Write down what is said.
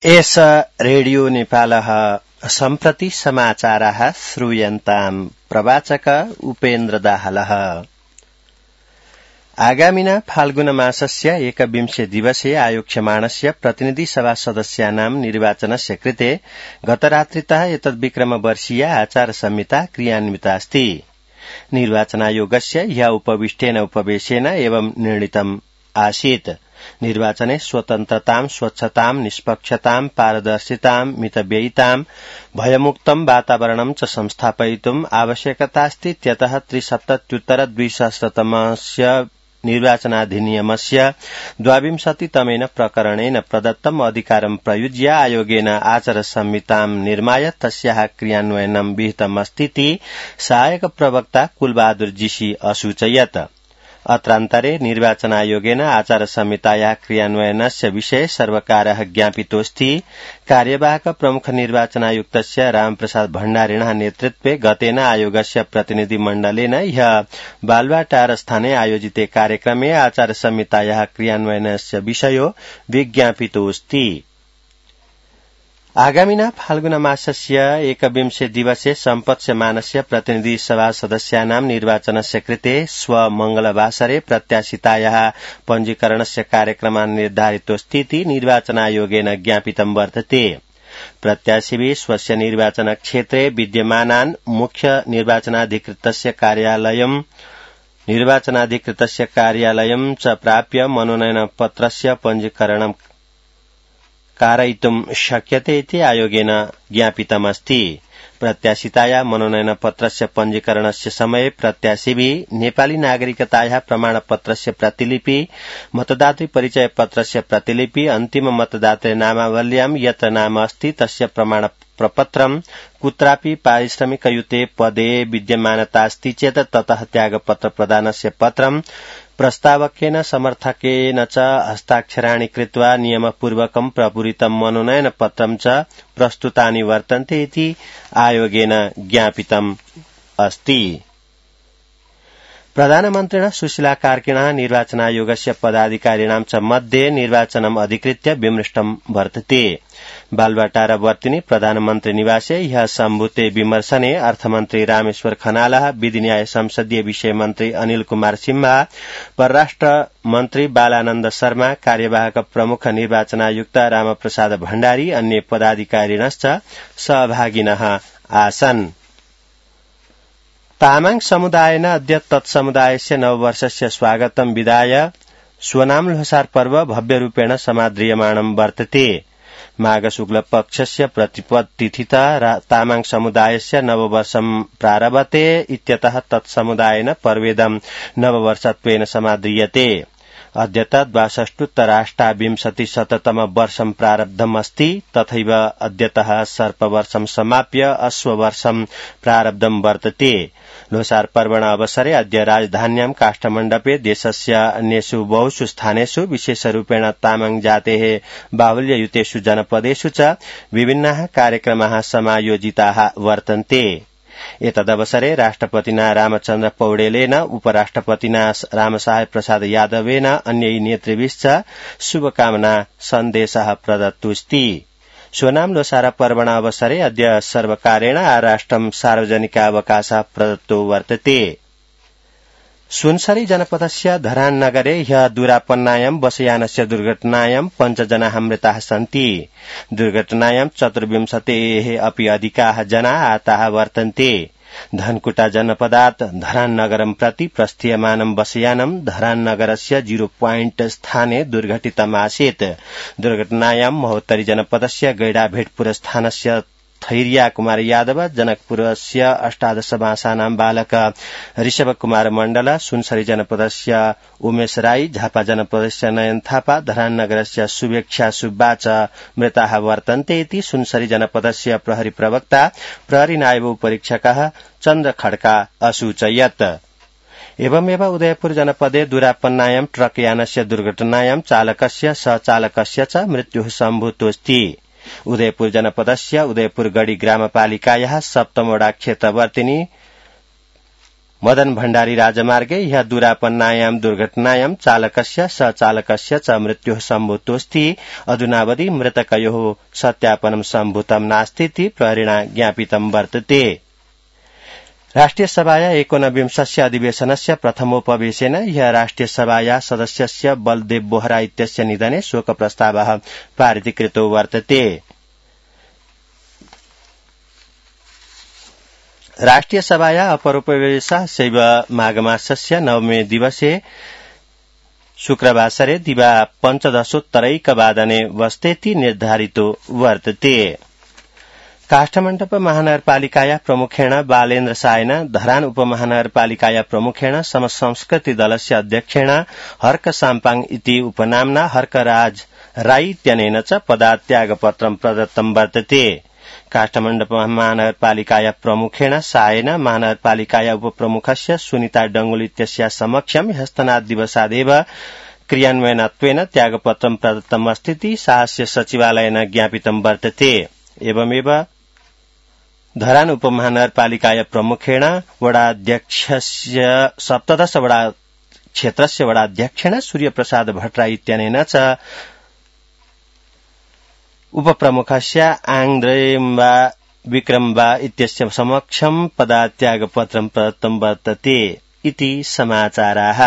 एष रेडियो नेपालः सम्प्रति समाचाराः श्रूयन्ताम् प्रवाचक उपेन्द्र दाहालः। आगामिना फाल्गुन मासस्य 21 दिवसे आयोक्ष्यमाणस्य प्रतिनिधि सभा सदस्यानां निर्वाचनस्य कृते गतरात्रितः एतद्विक्रमवर्षीया आचार संहिता क्रियान्विता अस्ति। निर्वाचनायोगस्य ह्यः उपविष्टेन उपवेशेन एवं निर्णीतम् आसीत्। निर्वाचने स्वतन्त्रतां, स्वच्छतां, निष्पक्षतां, पारदर्शितां, मितव्ययितां, भयमुक्तं वातावरणं च संस्थापयितुम् आवश्यकतास्ति। इत्यतः त्रिसप्तत्युत्तर-2000तमस्य निर्वाचनाधिनियमस्य 22तमेन प्रकरणेन प्रदत्तम् अधिकारं प्रयुज्य आयोगेन आचार संहितां निर्माय तस्याः क्रियान्वयनं विहितमस्तीति सहायक प्रवक्ता कुलबहादुर जीसी असूचयत्। अत्रान्तरे निर्वाचनायोगेन आचार संहितायाः क्रियान्वयनस्य विषये सर्वकारः ज्ञापितोऽस्ति। कार्यवाहक प्रमुख निर्वाचनायुक्तस्य रामप्रसाद भण्डारिणः नेतृत्वे गतेन आयोगस्य प्रतिनिधिमण्डलेन ह्यः बालुवाटार स्थाने आयोजिते कार्यक्रमे आचार संहितायाः क्रियान्वयनस्य विषयो विज्ञापितोऽस्ति। आगामिना फाल्गुन मासस्य 21 दिवसे सम्पत्स्यमानस्य प्रतिनिधि सभा सदस्यानां निर्वाचनस्य कृते स्वमंगलवासरे प्रत्याशितायाः पञ्जीकरणस्य कार्यक्रमः निर्धारितोऽस्तीति निर्वाचनायोगेन ज्ञापितं वर्तते। प्रत्याशिभिः स्वस्य निर्वाचनक्षेत्रे विद्यमानान् मुख्य निर्वाचनाधिकृतस्य कार्यालयं च प्राप्य मनोनयनपत्रस्य पञ्जीकरणं कारयितुं शक्यते इति आयोगेन ज्ञापितमस्ति। प्रत्याशितायाः मनोनयनपत्रस्य पञ्जीकरणस्य समये प्रत्याशिभिः नेपाली नागरिकतायाः प्रमाणपत्रस्य प्रतिलिपि, मतदातृ परिचय पत्रस्य प्रतिलिपि, अन्तिम मतदातृ नामावल्यां यत् नाम अस्ति तस्य प्रमाणपत्रं, कुत्रापि पारिश्रमिकयुते पदे विद्यमानतास्ति चेत् ततः त्यागपत्र प्रदानस्य पत्रं, प्रस्तावकेन समर्थकेन च हस्ताक्षराणि कृत्वा नियमपूर्वकं प्रपूरितं मनोनयनपत्रं च प्रस्तुतानि वर्तन्ते इति आयोगेन ज्ञापितम् अस्ति। प्रधानमन्त्रिणः सुशीला कार्किणः निर्वाचनायोगस्य पदाधिकारिणां च मध्ये निर्वाचनम् अधिकृत्य विमृष्टं वर्तते। बालुवाटारवर्तिनि प्रधानमन्त्री निवासे ह्यः सम्भूते विमर्शने अर्थमन्त्री रामेश्वर खनालः, विधि न्याय संसदीय विषय मन्त्री अनिल कुमार सिम्हा, परराष्ट्र मन्त्री बालानन्द शर्मा, कार्यवाहक प्रमुख निर्वाचनायुक्त रामप्रसाद भण्डारी, अन्य पदाधिकारिणश्च सहभागिनः आसन्। तामाङ समुदायेन अद्य तत्समुदायस्य नववर्षस्य स्वागतं विधाय स्वनाम ल्होसार पर्व भव्यरूपेण समाद्रियमाणं वर्तते। माघ शुक्ल पक्षस्य प्रतिपद तिथितः तामाङ समुदायस्य नववर्षं प्रारभते इत्यतः तत्समुदायेन पर्वेदं नववर्षत्वेन समाद्रियते। अद्य 62-अष्टाविंशतिशततम वर्षं प्रारब्धमस्ति। तथैव अद्यतः सर्पवर्षं समाप्य अश्ववर्षं प्रारब्धं वर्तते। ल्होसार पर्वण अवसरे अद्य राजधान्यां काष्ठमण्डपे देशस्य अन्येषु बहुषु स्थानेषु विशेषरूपेण तामाङ जातेः बाहुल्ययुतेषु जनपदेषु च विभिन्नाः कार्यक्रमाः समायोजिताः वर्तन्ते। एतदवसरे राष्ट्रपतिना रामचन्द्र पौडेलेन, उपराष्ट्रपतिना रामसहाय प्रसाद यादवेन, अन्यै नेतृभिश्च शुभकामना सन्देशः प्रदत्तोऽस्ति। स्वनाम ल्होसार पर्वण अवसरे अद्य सर्वकारेण आराष्ट्रं सार्वजनिकावकाशः प्रदत्तो वर्तते। सुनसरी जनपदस्य धरान नगरे ह्यः दूरापन्नायां बसयानस्य दुर्घटनायां 5 जनाः मृताः सन्ति। दुर्घटनायां 24 अपि अधिकाः जनाः आताः वर्तन्ते। धनकुटा जनपदात् धरान नगरं प्रति प्रस्थीयमानं बसयानं धरान नगरस्य 0 पॉइंट स्थाने दुर्घटितमासीत्। दुर्घटनायां महोत्तरी जनपदस्य गैडाभेटपुर स्थानस्य थैरिया कुमार यादव, जनकपुरस्य 18 मासानां बालक ऋषभ कुमार मण्डल, सुनसरी जनपदस्य उमेश राई, झापा जनपदस्य नयन थापा, धरान नगरस्य शुभेच्छा सुब्बा च मृताः वर्तन्ते इति सुनसरी जनपदस्य प्रहरी प्रवक्ता प्रहरी नायब परीक्षकः चन्द्र खड्का असूचयत्। एवमेव उदयपुर जनपदे दूरापन्नायां ट्रक यानस्य दुर्घटनायां चालकस्य सहचालकस्य च मृत्युः सम्भूतोऽस्ति। उदयपुर जनपदस्य उदयपुर गढी ग्रामपालिकायाः 7 वडा क्षेत्रवर्तिनि मदन भण्डारी राजमार्गे ह्यः दुरापन्नायां दुर्घटनायां चालकस्य सचालकस्य च मृत्युः सम्भूतोऽस्ति। अधुनावधि मृतकयोः सत्यापनं सम्भूतं नास्तीति प्रहरिणा ज्ञापितं वर्तते। राष्ट्रिय सभाया 19 अधिवेशनस्य प्रथमोपवेशेन ह्यः राष्ट्रिय सभाया सदस्यस्य बलदेव बोहरा इत्यस्य निधने शोक प्रस्तावः पारितीकृतो वर्तते। राष्ट्रिय सभाया अपरोपवेशः शैव माघमासस्य नवमे दिवसे शुक्रवासरे दिवा 15:15 वस्तेति निर्धारितो वर्तते। काष्ठमण्डप महानगरपालिकाया प्रमुखेण बालेन्द्र सायन, धरान उपमहानगरपालिकाया प्रमुखेण समसंस्कृति दलस्य अध्यक्षेण हर्क साम्पाङ इति उपनाम्ना हर्कराज राई इत्यनेन च पदात्यागपत्रं प्रदत्तं वर्तते। काष्ठमण्डप महानगरपालिकाया प्रमुखेण सायन, महानगरपालिकाया उपप्रमुखस्य सुनिता डंगुल इत्यस्या समक्षं ह्यस्तनादिवसादेव क्रियान्वयनत्वेन त्यागपत्रं प्रदत्तमस्तीति साहस्य सचिवालयेन ज्ञापितं वर्तते। एवमेव धरान उपमहानगरपालिकाया प्रमुखेण वडाध्यक्षस्य 17 वडा क्षेत्रस्य वडाध्यक्षेण सूर्यप्रसाद भट्टराई इत्यनेन च उपप्रमुखस्य आङ्द्रेम्बा विक्रम्बा इत्यस्य समक्षं पदात्यागपत्रं प्रदत्तं वर्तते इति समाचाराः।